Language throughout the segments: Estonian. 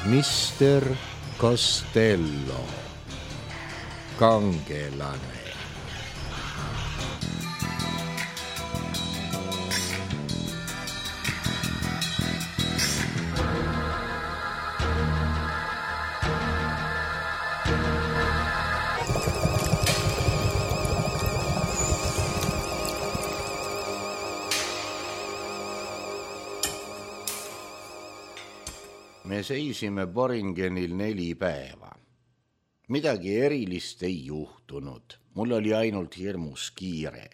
Mister Costello, kangelane. Me seisime Boringenil 4 päeva. Midagi erilist ei juhtunud. Mul oli ainult hirmus kiire.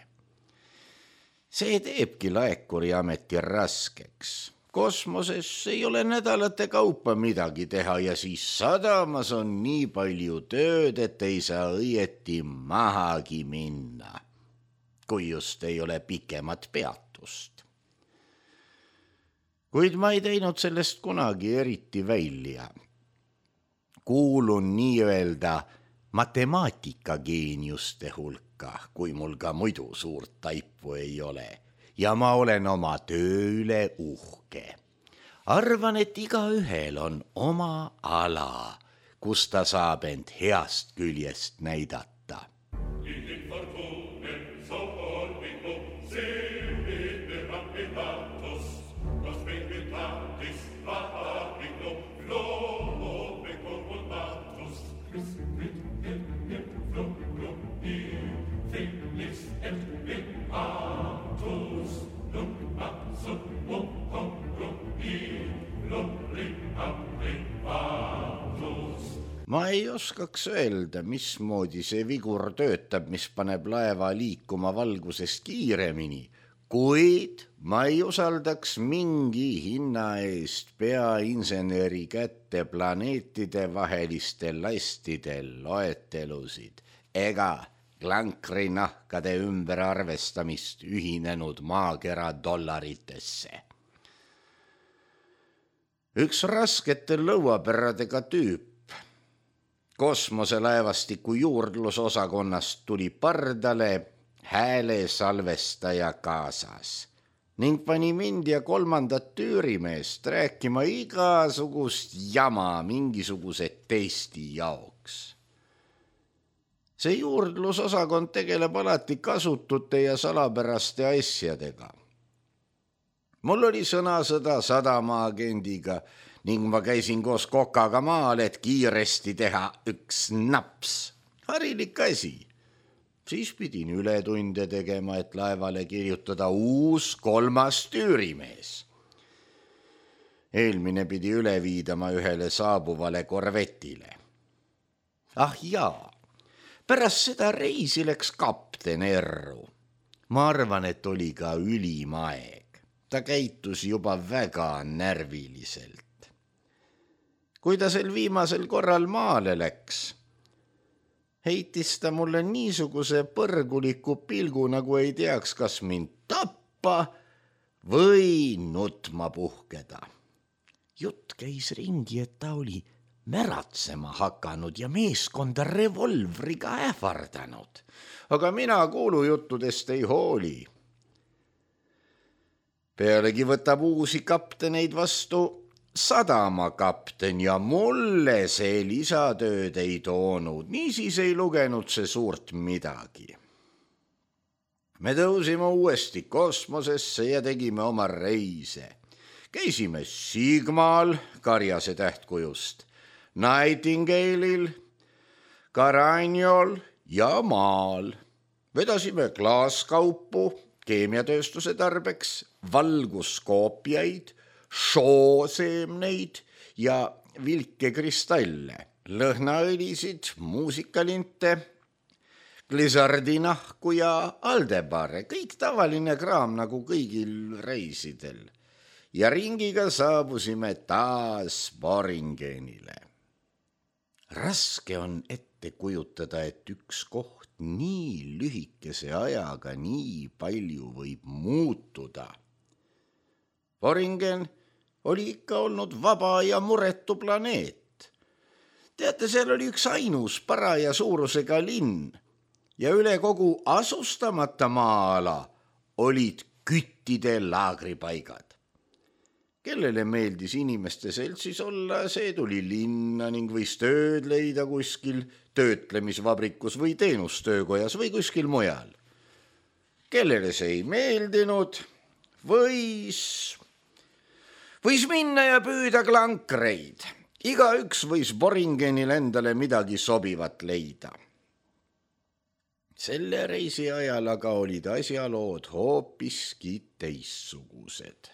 See teebki laekuriameti raskeks. Kosmoses ei ole nädalate kaupa midagi teha ja siis sadamas on nii palju tööd, et ei saa õieti mahagi minna, kui just ei ole pikemat peatust. Kuid ma ei teinud sellest kunagi eriti välja. Kuulun nii-öelda matemaatikageeniuste hulka, kui mul ka muidu suurt taipu ei ole. Ja ma olen oma töö üle uhke. Arvan, et igaühel on oma ala, kus ta saab end heast küljest näidata. Ma ei oskaks öelda, mismoodi see vigur töötab, mis paneb laeva liikuma valgusest kiiremini, kuid ma ei usaldaks mingi hinna eest peainseneri kätte planeetide vahelistel lastidel loetelusid ega klankrinahkade ümberarvestamist ühinenud maakera dollaritesse. Üks raskete lõuapäradega tüüp kosmoselaevastiku juurdlusosakonnast tuli pardale häälesalvestaja kaasas ning pani mind ja 3. tüürimeest rääkima igasugust jama mingisuguse testi jaoks. See juurdlusosakond tegeleb alati kasutute ja salapäraste asjadega. Mul oli sõnasõda sadamaagendiga ning ma käisin koos Kokaga maal, et kiiresti teha üks naps. Harilik asi. Siis pidin ületunde tegema, et laevale kirjutada uus 3. tüürimees. Eelmine pidi üle viidama ühele saabuvale korvetile. Ah jaa, pärast seda reisi läks kapten erru. Ma arvan, et oli ka ülim aeg. Ta käitus juba väga närviliselt. Kui ta sel viimasel korral maale läks, heitis ta mulle niisuguse põrguliku pilgu, nagu ei teaks, kas mind tappa või nutma puhkeda. Jutt käis ringi, et ta oli märatsema hakanud ja meeskonda revolvriga ähvardanud. Aga mina kuulujuttudest ei hooli. Pealegi võtab uusi kapteneid vastu sadamakapten ja mulle see lisatööd ei toonud, niisiis ei lugenud see suurt midagi. Me tõusime uuesti kosmosesse ja tegime oma reise. Käisime Sigmal, Karjase tähtkujust, Nightingale'il, Caraniol ja maal. Vedasime klaaskaupu, keemiatööstuse tarbeks, valguskoopiaid, showseemneid ja vilkekristalle, lõhnaõlisid, muusikalinte, glissardinahku ja aldebare, kõik tavaline kraam nagu kõigil reisidel. Ja ringiga saabusime taas Boringenile. Raske on ette kujutada, et üks koht nii lühikese ajaga nii palju võib muutuda. Boringen oli ikka olnud vaba ja muretu planeet. Teate, seal oli üks ainus paraja suurusega linn ja üle kogu asustamata maa-ala olid küttide laagripaigad. Kellele meeldis inimeste seltsis olla, see tuli linna ning võis tööd leida kuskil töötlemisvabrikus või teenustöökojas või kuskil mujal. Kellele see ei meeldinud, võis minna ja püüda klankreid. Igaüks võis Boringenil endale midagi sobivat leida. Selle reisi ajal aga olid asjalood hoopiski teissugused.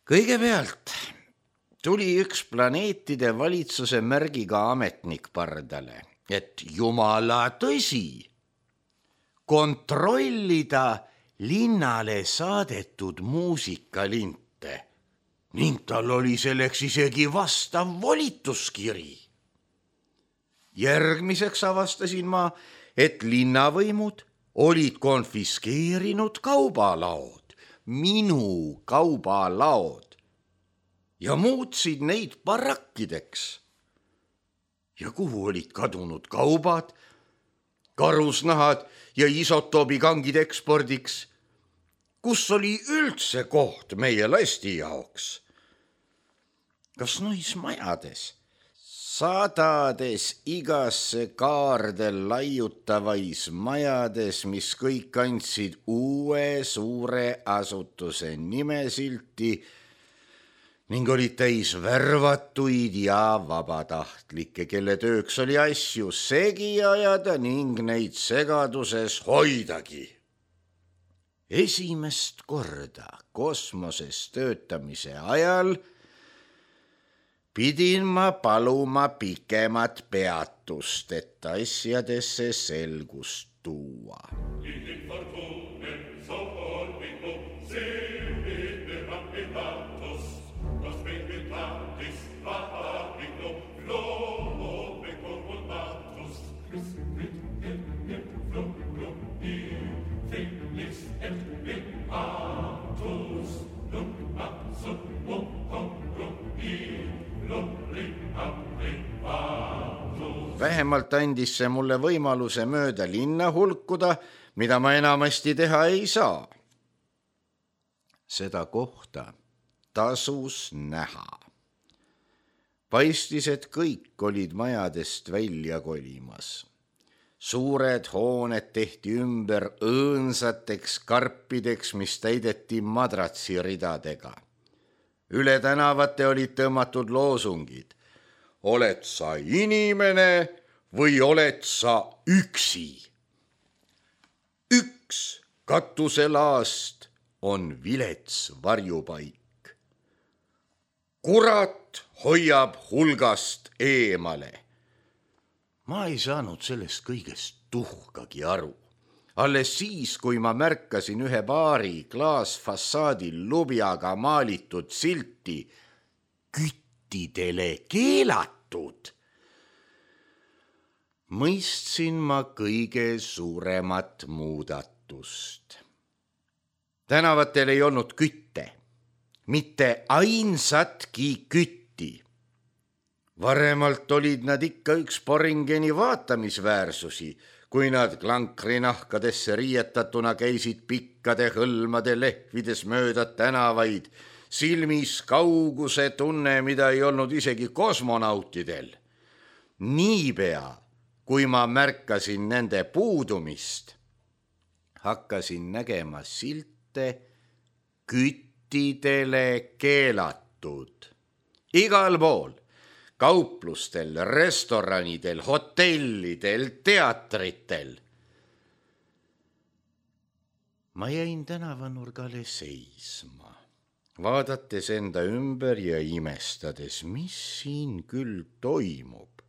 Kõigepealt tuli üks planeetide valitsuse märgiga ametnik pardale, et jumala tõsi, kontrollida linnale saadetud muusikalinte ning tal oli selleks isegi vastav volituskiri. Järgmiseks avastasin ma, et linnavõimud olid konfiskeerinud kaubalaod, minu kaubalaod, ja muutsid neid barakkideks. Ja kuhu olid kadunud kaubad, karusnahad ja isotoobikangid ekspordiks? Kus oli üldse koht meie lasti jaoks? Kas nois majades, sadades igasse kaarde laiutavais majades, mis kõik andsid uue suure asutuse nimesilti ning olid täis värvatuid ja vabatahtlikke, kelle tööks oli asju segi ajada ning neid segaduses hoidagi. Esimest korda kosmoses töötamise ajal pidin ma paluma pikemat peatust, et asjadesse selgust tuua. Vähemalt andis see mulle võimaluse mööda linna hulkuda, mida ma enamasti teha ei saa. Seda kohta tasus näha. Paistis, et kõik olid majadest välja kolimas. Suured hooned tehti ümber õõnsateks karpideks, mis täideti madratsiridadega. Üle tänavate olid tõmmatud loosungid. Oled sa inimene või oled sa üksi? Üks katuselaast on vilets varjupaik. Kurat hoiab hulgast eemale. Ma ei saanud sellest kõigest tuhkagi aru. Alles siis, kui ma märkasin ühe baari klaasfassaadil lubjaga maalitud silti küttidele keelatud, mõistsin ma kõige suuremat muudatust. Tänavatel ei olnud kütte, mitte ainsatki kütti. Varemalt olid nad ikka üks Boringeni vaatamisväärsusi, kui nad klankrinahkadesse riietatuna käisid pikkade hõlmade lehvides mööda tänavaid, silmis kauguse tunne, mida ei olnud isegi kosmonautidel. Niipea, kui ma märkasin nende puudumist, hakkasin nägema silte küttidele keelatud. Igal pool, kauplustel, restoranidel, hotellidel, teatritel. Ma jäin tänavanurgale seisma, vaadates enda ümber ja imestades, mis siin küll toimub.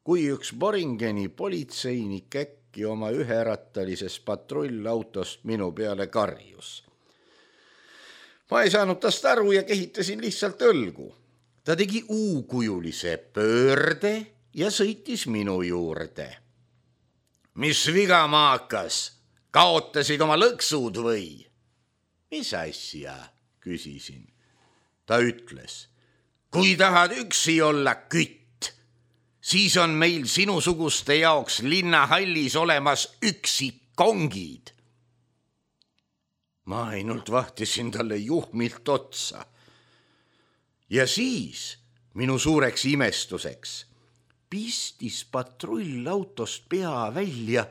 Kui üks Boringeni politseinik äkki oma üherattalises patrullautost minu peale karjus. Ma ei saanud tast aru ja kehitasin lihtsalt õlgu. Ta tegi U-kujulise pöörde ja sõitis minu juurde. Mis viga, maakas? Kaotasid oma lõksud või? Mis asja? Küsisin. Ta ütles, kui tahad üksi olla kütt, siis on meil sinusuguste jaoks linnahallis olemas üksikongid. ma ainult vahtisin talle juhmilt otsa. Ja siis minu suureks imestuseks pistis patrullautost pea välja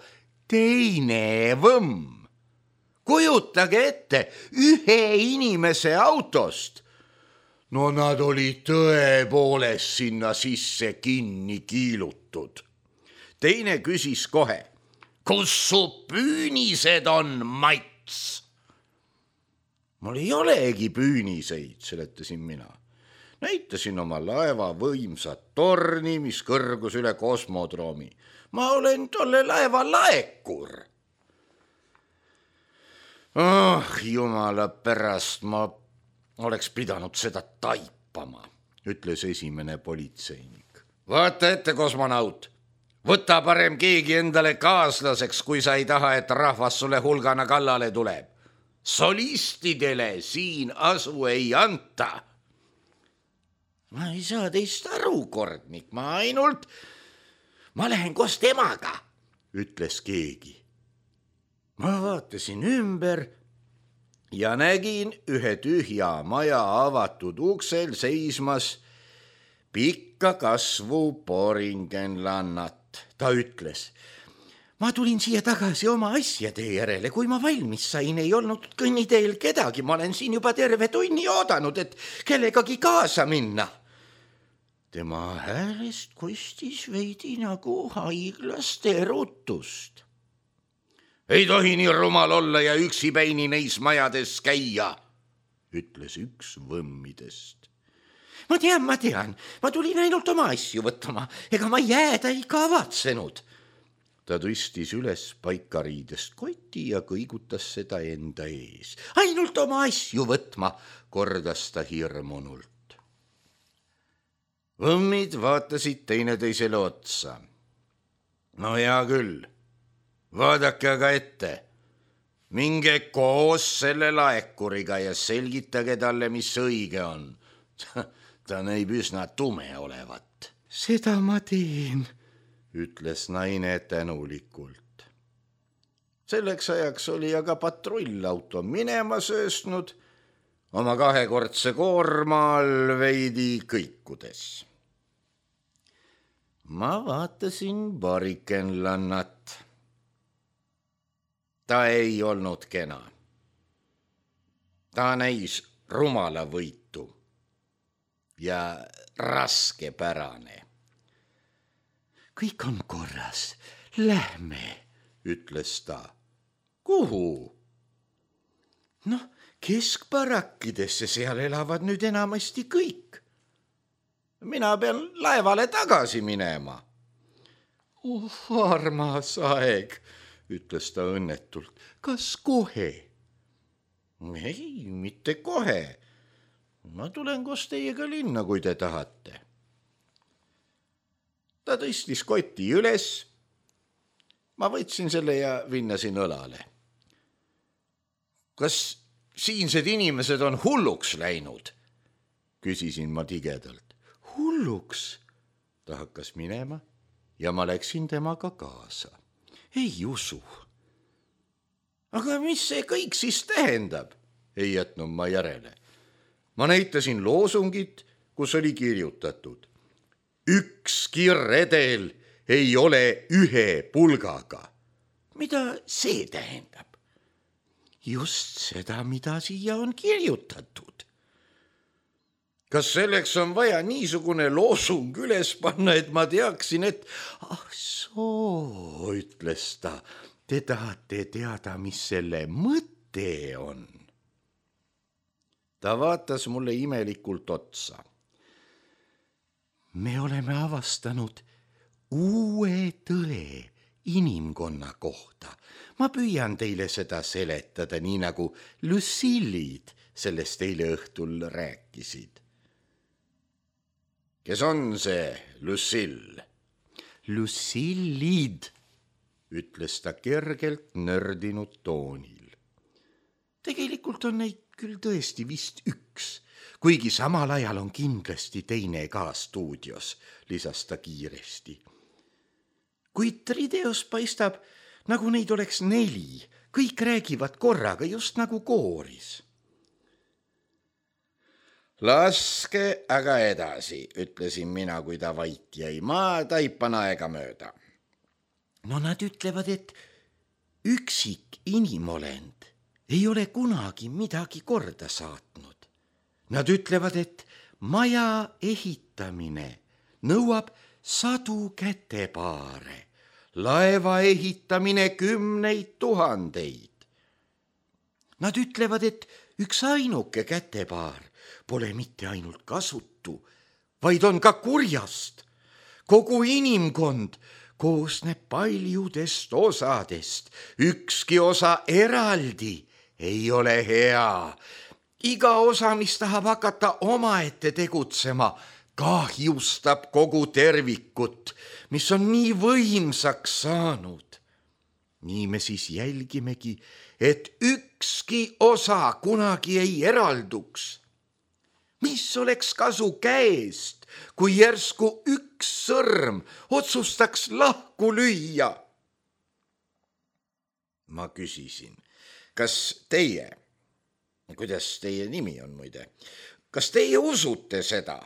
teine võmm. Kujutage ette, ühe inimese autost. No nad olid tõepoolest sinna sisse kinni kiilutud. Teine küsis kohe, kus su püünised on, Mats? Mul ei olegi püüniseid, seletasin mina. Näitasin oma laeva võimsat torni, mis kõrgus üle kosmodroomi. Ma olen tolle laeva laekur. Jumala pärast, ma oleks pidanud seda taipama, ütles esimene politseinik. Vaata ette, kosmonaut, võta parem keegi endale kaaslaseks, kui sa ei taha, et rahvas sulle hulgana kallale tuleb. Solistidele siin asu ei anta. Ma ei saa teist aru, kordnik, ma lähen koos temaga, ütles keegi. Ma vaatasin ümber ja nägin ühe tühja maja avatud uksel seismas pikka kasvu poringenlannat. Ta ütles, ma tulin siia tagasi oma asjade järele, kui ma valmis sain, ei olnud kõnniteel kedagi, ma olen siin juba terve tunni oodanud, et kellegagi kaasa minna. Tema häälest kostis veidi nagu haiglaste erutust. Ei tohi nii rumal olla ja üksipäini neis majades käia, ütles üks võmmidest. Ma tean, ma tulin ainult oma asju võtma, ega ma jääda ei kavatsenud. Ta tõstis üles paikariidest koti ja kõigutas seda enda ees. Ainult oma asju võtma, kordas ta hirmunult. Võmmid vaatasid teineteisele otsa. No hea küll. Vaadake aga ette, minge koos selle laekuriga ja selgitage talle, mis õige on. Ta näib üsna tume olevat. Seda ma teen, ütles naine tänulikult. Selleks ajaks oli aga patrullauto minema söösnud, oma kahekordse koorma all veidi kõikudes. Ma vaatasin porikenlannat. Ta ei olnud kena. Ta näis rumalavõitu ja raskepärane. Kõik on korras, lähme, ütles ta. Kuhu? Keskbarakkidesse, seal elavad nüüd enamasti kõik. Mina pean laevale tagasi minema. Armas aeg, ütles ta õnnetult. Kas kohe? Ei, mitte kohe. Ma tulen koos teiega linna, kui te tahate. Ta tõstis koti üles. Ma võtsin selle ja vinnasin õlale. Kas siinsed inimesed on hulluks läinud? Küsisin ma tigedalt. Hulluks? Ta hakkas minema ja ma läksin temaga kaasa. Ei usu. Aga mis see kõik siis tähendab? Ei jätnud ma järele. Ma näitasin loosungit, kus oli kirjutatud. Ükski redel ei ole ühe pulgaga. Mida see tähendab? Just seda, mida siia on kirjutatud. Kas selleks on vaja niisugune loosung üles panna, et ma teaksin, et soo, ütles ta, te tahate teada, mis selle mõte on. Ta vaatas mulle imelikult otsa. Me oleme avastanud uue tõe inimkonna kohta. Ma püüan teile seda seletada, nii nagu Lucillid sellest eile õhtul rääkisid. Kes on see Lucille? Lucillid, ütles ta kergelt nördinud toonil. Tegelikult on neid küll tõesti vist üks, kuigi samal ajal on kindlasti teine ka stuudios, lisas ta kiiresti. Kuid videos paistab, nagu neid oleks 4, kõik räägivad korraga, just nagu kooris. Laske aga edasi, ütlesin mina, kui ta vait jäi. Ma taipan aega mööda. No nad ütlevad, et üksik inimolend ei ole kunagi midagi korda saatnud. Nad ütlevad, et maja ehitamine nõuab 100 kätepaare, laeva ehitamine 10 000. Nad ütlevad, et üks ainuke kätepaar pole mitte ainult kasutu, vaid on ka kurjast. Kogu inimkond koosneb paljudest osadest. Ükski osa eraldi ei ole hea. Iga osa, mis tahab hakata omaette tegutsema, kahjustab kogu tervikut, mis on nii võimsaks saanud. Nii me siis jälgimegi, et ükski osa kunagi ei eralduks. Mis oleks kasu käest, kui järsku üks sõrm otsustaks lahku lüüa? Ma küsisin, kas teie, kuidas teie nimi on muide, kas teie usute seda?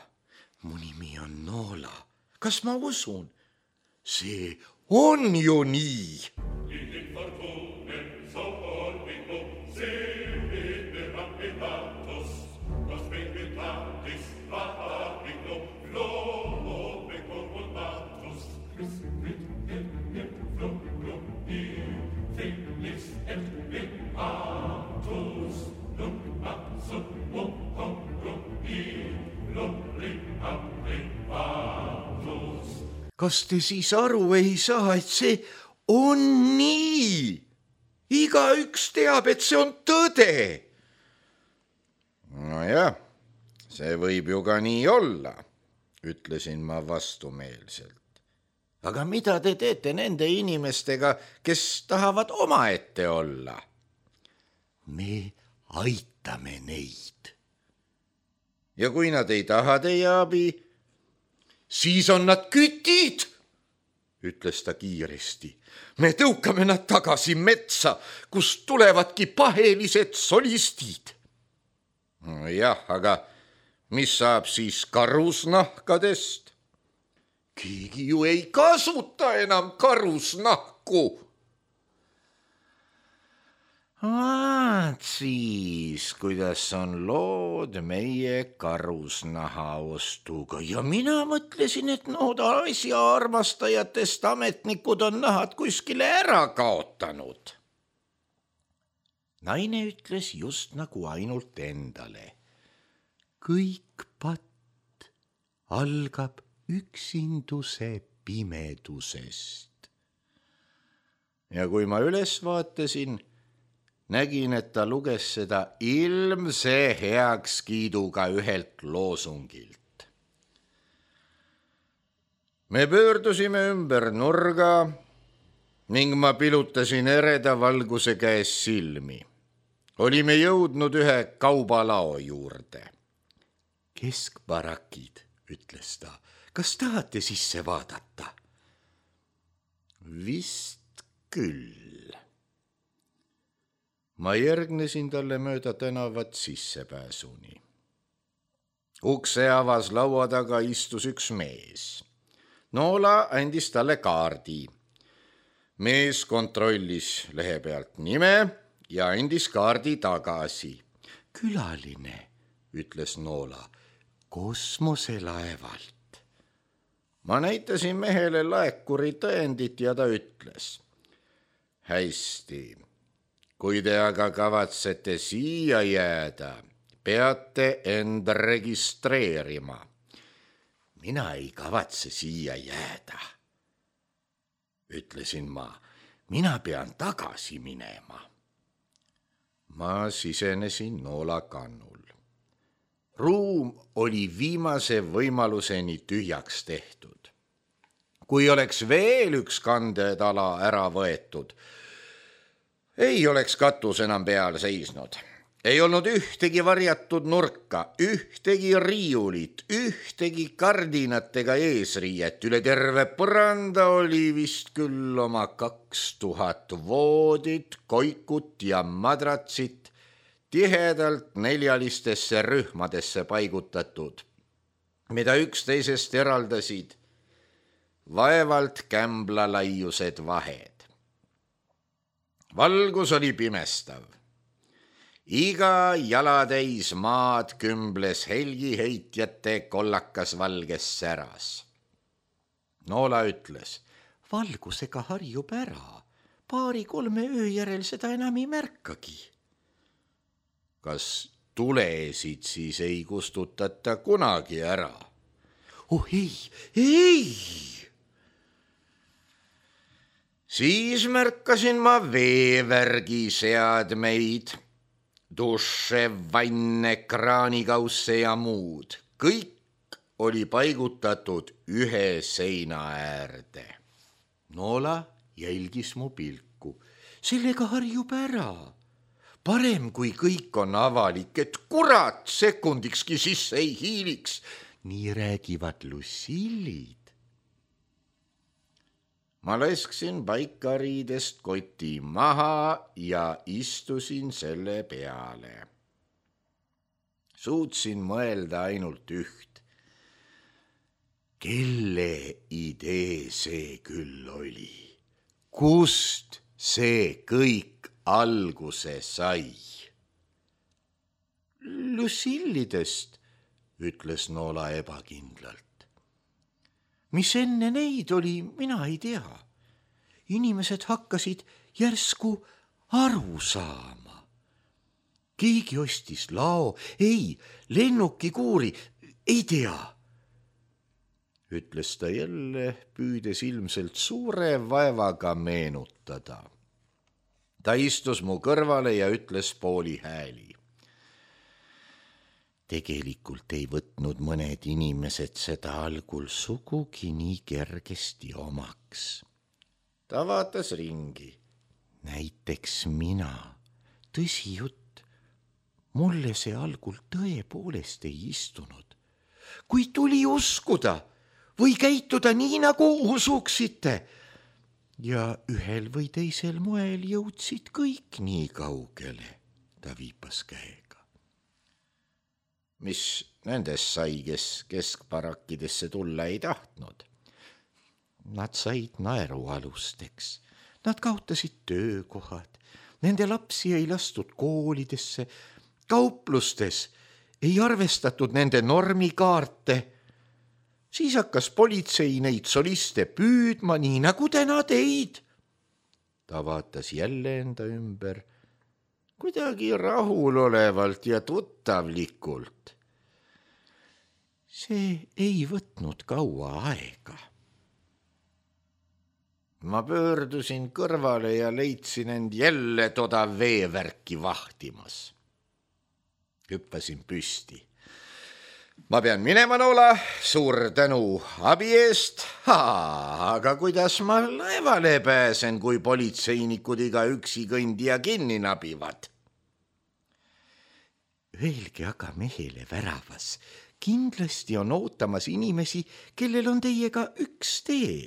Mu nimi on Noola. Kas ma usun? See on ju nii. Kas te siis aru ei saa, et see on nii? Igaüks teab, et see on tõde. Nojah, see võib ju ka nii olla, ütlesin ma vastumeelselt. Aga mida te teete nende inimestega, kes tahavad omaette olla? Me aitame neid. Ja kui nad ei taha teie abi, siis on nad kütid, ütles ta kiiresti. Me tõukame nad tagasi metsa, kust tulevadki pahelised solistid. Jah, aga mis saab siis karusnahkadest? Keegi ju ei kasuta enam karusnahku. Vaat siis, kuidas on lood meie karusnaha ostuga. Ja mina mõtlesin, et nooda asja armastajatest ametnikud on nahad kuskile ära kaotanud. Naine ütles just nagu ainult endale. Kõik patt algab üksinduse pimedusest. Ja kui ma üles vaatasin, nägin, et ta luges seda ilmse heakskiiduga ühelt loosungilt. Me pöördusime ümber nurga ning ma pilutasin ereda valguse käes silmi. Olime jõudnud ühe kaubalao juurde. Keskbarakid, ütles ta. Kas tahate sisse vaadata? Vist küll. Ma järgnesin talle mööda tänavat sissepääsuni. Ukse avas laua taga istus üks mees. Noola andis talle kaardi. Mees kontrollis lehe pealt nime ja andis kaardi tagasi. Külaline, ütles Noola, kosmoselaevalt. Ma näitasin mehele laekuri tõendit ja ta ütles. Hästi. Kui te aga kavatsete siia jääda, peate end registreerima. Mina ei kavatse siia jääda, ütlesin ma. Mina pean tagasi minema. Ma sisenesin Noola kannul. Ruum oli viimase võimaluseni tühjaks tehtud. Kui oleks veel üks kandetala ära võetud, ei oleks katus enam peal seisnud. Ei olnud ühtegi varjatud nurka, ühtegi riiulit, ühtegi kardinat ega eesriiet. Üle terve põranda oli vist küll oma 2000 voodit, koikut ja madratsit tihedalt neljalistesse rühmadesse paigutatud, mida üksteisest eraldasid vaevalt kämblalaiused vahed. Valgus oli pimestav. Iga jalatäis maad kümbles helgiheitjate kollakas valges säras. Noola ütles, valgusega harjub ära, 2-3 öö järel seda enam ei märkagi. Kas tulesid siis ei kustutata kunagi ära? Oh ei! Siis märkasin ma veevärgi seadmeid, duše, vanne, kraanikausse ja muud. Kõik oli paigutatud ühe seina äärde. Noola jälgis mu pilku. Sellega harjub ära. Parem, kui kõik on avalik, et kurat sekundikski sisse ei hiiliks. Nii räägivad Lucillid. Ma lasksin paikariidest koti maha ja istusin selle peale. Suutsin mõelda ainult üht. Kelle idee see küll oli? Kust see kõik alguse sai? Lucillidest, ütles Noola ebakindlalt. Mis enne neid oli, mina ei tea. Inimesed hakkasid järsku aru saama. Keegi ostis lao, lennukikuuri, ei tea. Ütles ta jälle, püüdes ilmselt suure vaevaga meenutada. Ta istus mu kõrvale ja ütles pooli hääli. Tegelikult ei võtnud mõned inimesed seda algul sugugi nii kergesti omaks. Ta vaatas ringi. Näiteks mina. Tõsi jutt, mulle see algul tõepoolest ei istunud. Kui tuli uskuda või käituda nii, nagu usuksite. Ja ühel või teisel moel jõudsid kõik nii kaugele, ta viipas käega. Mis nendest sai, kes keskbarakkidesse tulla ei tahtnud? Nad said naerualusteks, nad kaotasid töökohad, nende lapsi ei lastud koolidesse, kauplustes ei arvestatud nende normikaarte. Siis hakkas politsei neid soliste püüdma, nii nagu täna teid. Ta vaatas jälle enda ümber, kuidagi rahulolevalt ja tuttavlikult. See ei võtnud kaua aega. Ma pöördusin kõrvale ja leidsin end jälle toda veevärki vahtimas. Hüppasin püsti. Ma pean minema, Noola, suur tänu abi eest. Aga kuidas ma laevale pääsen, kui politseinikud iga üksi kõndija kinni nabivad? Öelge aga mehele väravas, kindlasti on ootamas inimesi, kellel on teiega üks tee.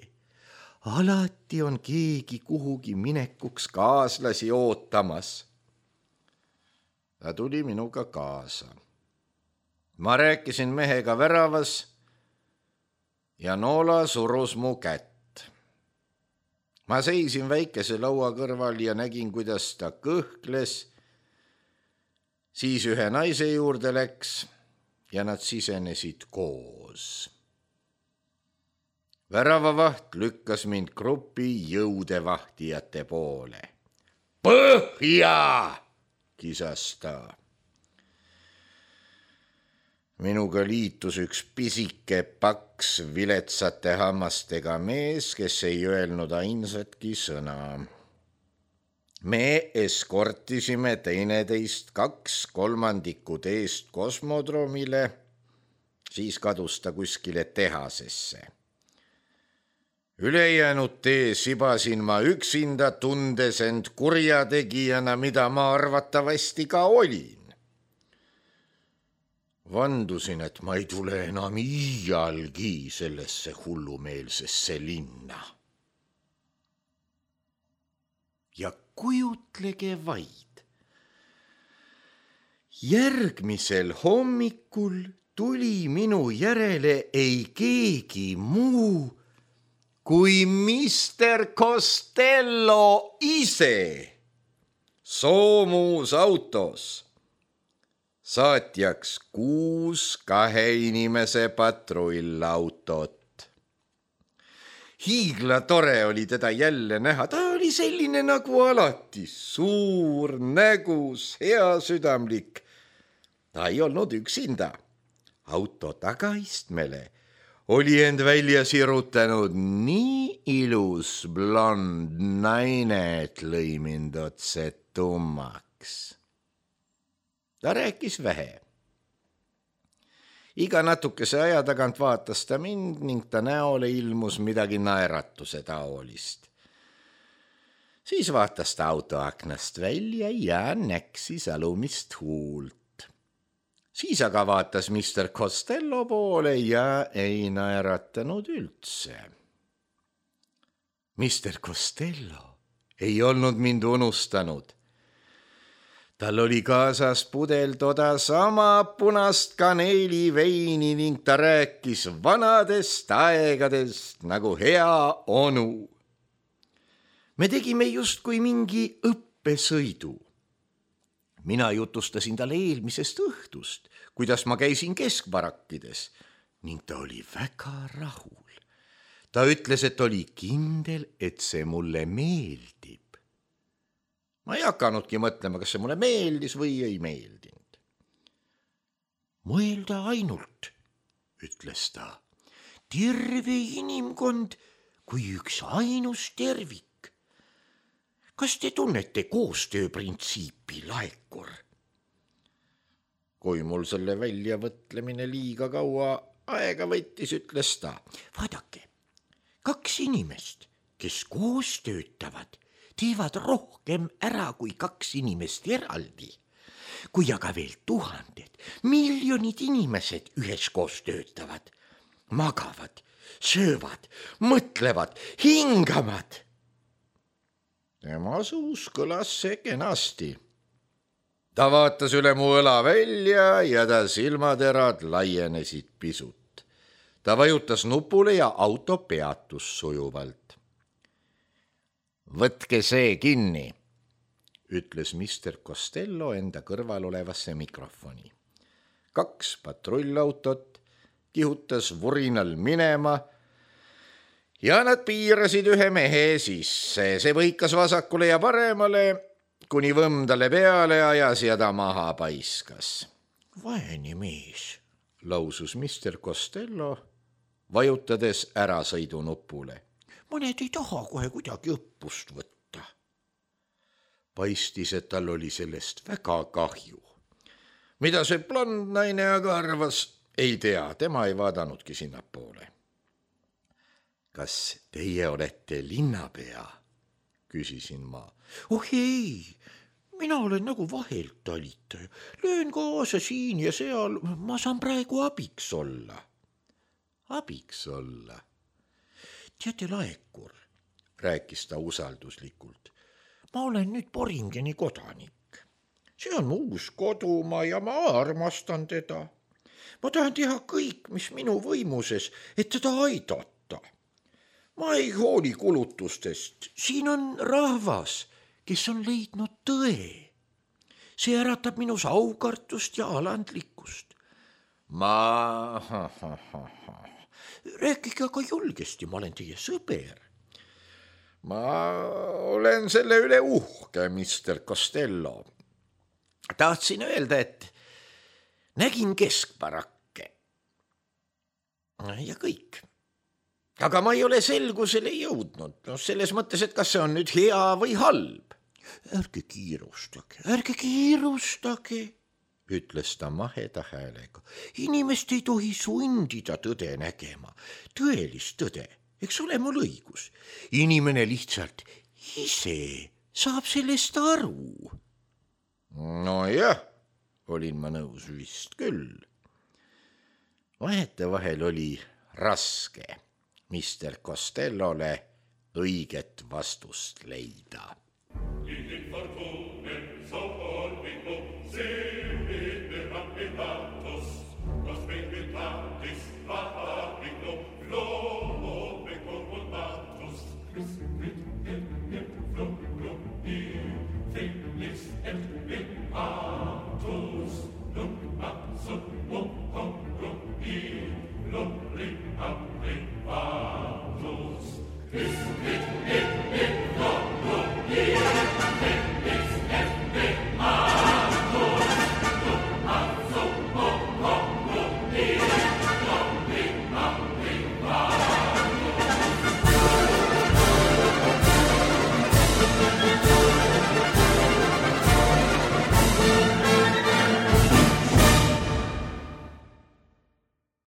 Alati on keegi kuhugi minekuks kaaslasi ootamas. Ta tuli minuga kaasa. Ma rääkisin mehega väravas ja Noola surus mu kätt. Ma seisin väikese laua kõrval ja nägin, kuidas ta kõhkles. Siis ühe naise juurde läks ja nad sisenesid koos. Väravavaht lükkas mind grupi jõudevahtijate poole. Põhja, kisas ta. Minuga liitus üks pisike paks viletsate hammastega mees, kes ei öelnud ainsatki sõna. Me eskortisime teineteist 2/3 teest kosmodromile, siis kadus ta kuskile tehasesse. Ülejäänud tee sibasin ma üksinda, tundes end kurjategijana, mida ma arvatavasti ka olin. vandusin, et ma ei tule enam iialgi sellesse hullumeelsesse linna. Ja kujutlege vaid. Järgmisel hommikul tuli minu järele ei keegi muu kui Mr. Costello ise soomusautos. Saatjaks 6 2 inimese patrullautot. Hiigla tore oli teda jälle näha, ta oli selline nagu alati, suur, nägus, hea südamlik. Ta ei olnud üksinda. Auto tagaistmele oli end välja sirutanud nii ilus blond naine, et lõi mind otse tummaks. Ta rääkis vähe. Iga natukese aja tagant vaatas ta mind ning ta näole ilmus midagi naeratuse taolist. Siis vaatas ta autoaknast välja ja näksis alumist huult. Siis aga vaatas Mr. Costello poole ja ei naeratanud üldse. Mr. Costello ei olnud mind unustanud. Tal oli kaasas pudel toda sama punast kaneeliveini ning ta rääkis vanadest aegadest nagu hea onu. Me tegime justkui mingi õppesõidu. Mina jutustasin talle eelmisest õhtust, kuidas ma käisin keskbarakkides ning ta oli väga rahul. Ta ütles, et oli kindel, et see mulle meeldib. Ma ei hakanudki mõtlema, kas see mulle meeldis või ei meeldinud. Mõelda ainult, ütles ta, terve inimkond kui üks ainus tervik. Kas te tunnete koostööprintsiipi, Laekur? Kui mul selle väljavõtlemine liiga kaua aega võttis, ütles ta, vaadake, 2 inimest, kes koos töötavad, teevad rohkem ära kui 2 inimest eraldi. Kui aga veel 1000, miljonid inimesed üheskoos töötavad, magavad, söövad, mõtlevad, hingavad. Tema suus kõlas see kenasti. Ta vaatas üle mu õla välja ja ta silmaterad laienesid pisut. Ta vajutas nupule ja auto peatus sujuvalt. Võtke see kinni, ütles Mr. Costello enda kõrval olevasse mikrofoni. 2 patrullautot kihutas vurinal minema ja nad piirasid ühe mehe sisse. See võikas vasakule ja paremale, kuni võmm talle peale ajas ja ta maha paiskas. Vaene mees, lausus Mr. Costello, vajutades ärasõidunupule. Mõned ei taha kohe kuidagi õppust võtta. Paistis, et tal oli sellest väga kahju. Mida see blond naine aga arvas, ei tea, tema ei vaadanudki sinnapoole. Kas teie olete linnapea? Küsisin ma. Oh ei, mina olen nagu vahelt talitaja. Löön kaasa siin ja seal, ma saan praegu abiks olla. Abiks olla? Teate, Laekur, rääkis ta usalduslikult. Ma olen nüüd Boringeni kodanik. See on mu uus kodumaa ja ma armastan teda. Ma tahan teha kõik, mis minu võimuses, et teda aidata. Ma ei hooli kulutustest. Siin on rahvas, kes on leidnud tõe. See äratab minus aukartust ja alandlikkust. Rääkige aga julgesti, ma olen teie sõber. Ma olen selle üle uhke, Mr. Costello. Tahtsin öelda, et nägin keskbarakke. Ja kõik. Aga ma ei ole selgusele jõudnud. Selles mõttes, et kas see on nüüd hea või halb. Ärge kiirustage, ütles ta maheda häälega. Inimest ei tohi sundida tõde nägema. Tõelist tõde, eks ole mul õigus. Inimene lihtsalt ise saab sellest aru. No jah, olin ma nõus vist küll. vahetevahel oli raske Mr Costellole õiget vastust leida.